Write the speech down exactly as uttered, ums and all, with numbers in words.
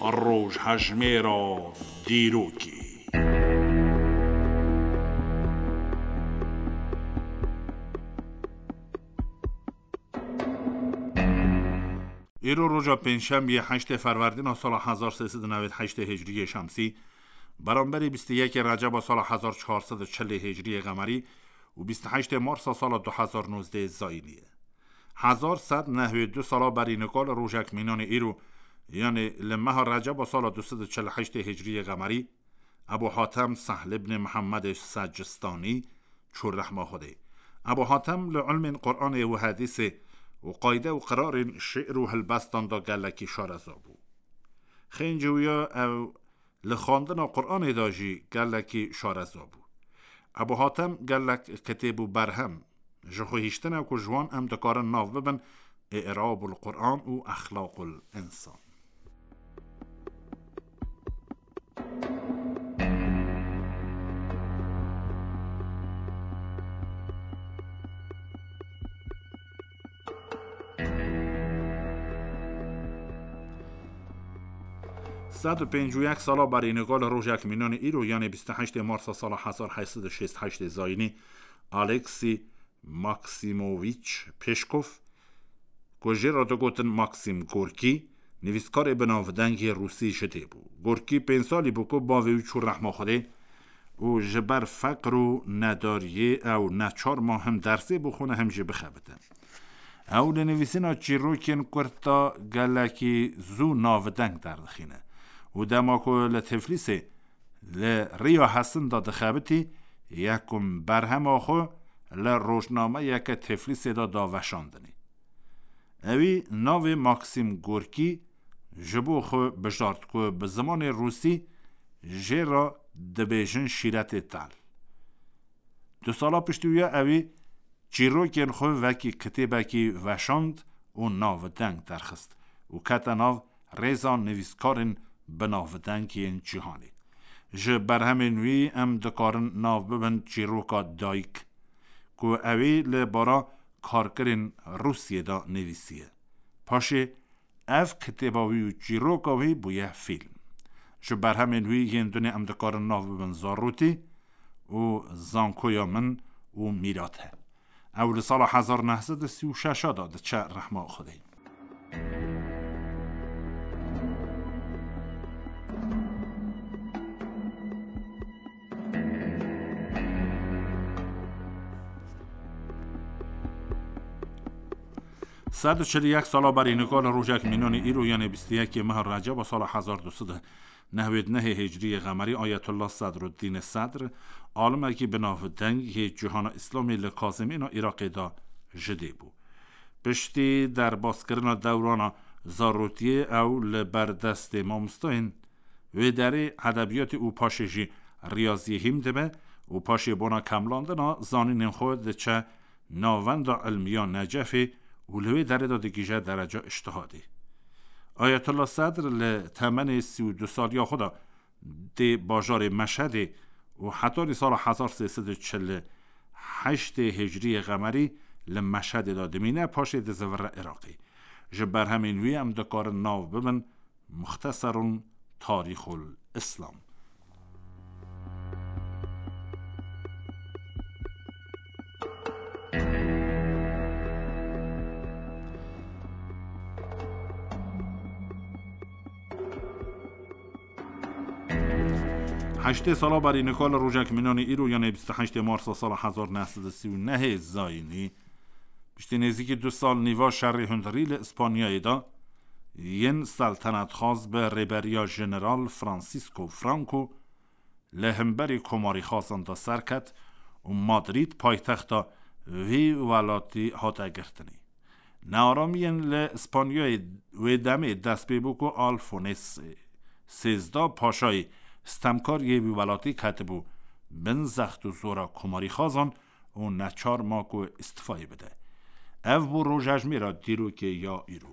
Rojhejmêra dîrokê. Îro roja pêncşemiyê heştê Ferwerdîna sala hezar sê sed û newêd heştê Hicriyê Şemsî, beramberî bîst û yekê Receba sala hezar çar sed û çilê Hicriyê Qemerî û bîst û heştê Marsa sala du hezar nozdeh Zayînî ye. Hezar sed nehwê du sala berî nika li rojek mînanê îro, yanê li meha Receba sala du sed û çil û heştê Hicriyê Qemerî, Ebû Hatem Sehl ibnê Mihemmedê Secistanî çû rehma Xwedê. Ebû Hatem li ilmên Quranê û Hedîsê û qayde û qirarên şi'r û hilbestan de gelekî şareza bû. Xêncê wî ya ew li xwendina Quranê de jî gelekî şareza bû. Ebû Hatem gelek kitêb û berhem ji xwe hiştine ku ji wan em dikarin nav bibin I'rabul Quran û Exlaqul Însan. Sed û pêncî û yek sala berî nika li rojek mînanê îro, yanê bîst û heştê Marsa sala hezar heyt sed û şêst heştê Zayînî, Aleksî Maksîmovîç Pêşkov, ku jê re digotin Maksîm Gorkî, nivîskarê binavdengê rûsî ji dê bû. Gorkî pênc salî bû ku bavê wî çû rehma Xwedê û ji ber feqir û nedariyê ew neçar ma him dersê bixwine him jî bixebite. Ew li nivîsîna çîrokên kurt de gelekî zû navdeng derdixîne û dema ku li Tiflîsê li Riya Hesin de dixebitî, yekum berhema xwe li rojnameyeke Tiflîsê de da veşandinê. Ewî navê Maksîm Gorkî ji bo xwe bijart ku bi zimanê rûsî jê re dibêjin şîretê tel. Du sala piştî wî ya ewî çîrokên xwe wekî kitêbekî veşand û navdeng derxist û kete nav rêza nivîskarên binavdeng yên cîhanê. Ji berhemên wî em dikarin nav bibin çîroka Dayik, ku ewî li bara karkirên Rûsiyê de nivîsiye. Paşê ev kitêba wî û çîroka wî bûye fîlm. Ji berhemên wî yên dunê em dikarin nav bibin Zarûtî û Zankoya Min û Mîrate. Ew li sala hezar neh sed û sî û şeş de diçe rehma Xwedê. Sed û çil û yek sala berî nika li rojek mînanî îro, yanê bîst û yekê meha Receba sala hezar du sed û nehwêd nehê Hicriyê Qemerî, Ayetullah Sedruddînê Sedr, alimekî binavdeng yê cîhana Îslamê li Kazimêna Iraqê de ji dê bû. Piştî derbaskirina dewrana zarotiyê ew li ber destê mamostayên wê derê edebiyatê û paşê jî riyaziyê hîm dibe û paşê bona kemlandina zanînên xwe diçe Navenda Ilmiya Necefê û li wê derê de digihîje dereca îctihadê. Ayetullah Sedr li temenê sî û du saliya xwe de dê bajarê Meşhedê û hetanî sala hezar sê sed û çil û heştê Hicriyê Qemerî li Meşhedê de dimîne, paşê dizivire Iraqê. Ji berhemên wî em dikarin nav bibin Muxteserun Tarîxul Îslam. Heştê sala berî nika li rojek mînanî îro, yanê bîst û heştê Marsa sala hezar neh sed û sî û nehê zayînî, piştî nêzîkî du sal nîva şerê hundirî li Îspanyayê de, yên seltenetxwaz bi rêberiya Jeneral Francisco Franco li hemberî komarîxwazan de serket û Madrîd paytexta vî welatî hate girtinê. Nearamiyên li Îspanyayê wê demê dest pê bû ku Alfonês sêzdeh Paşayê stemkar yê wî welatî ketibû bin zext û zora komarîxwazan û neçar ma ku îstifayê bide. Ev bû rojejmêra dîrokê ya îro.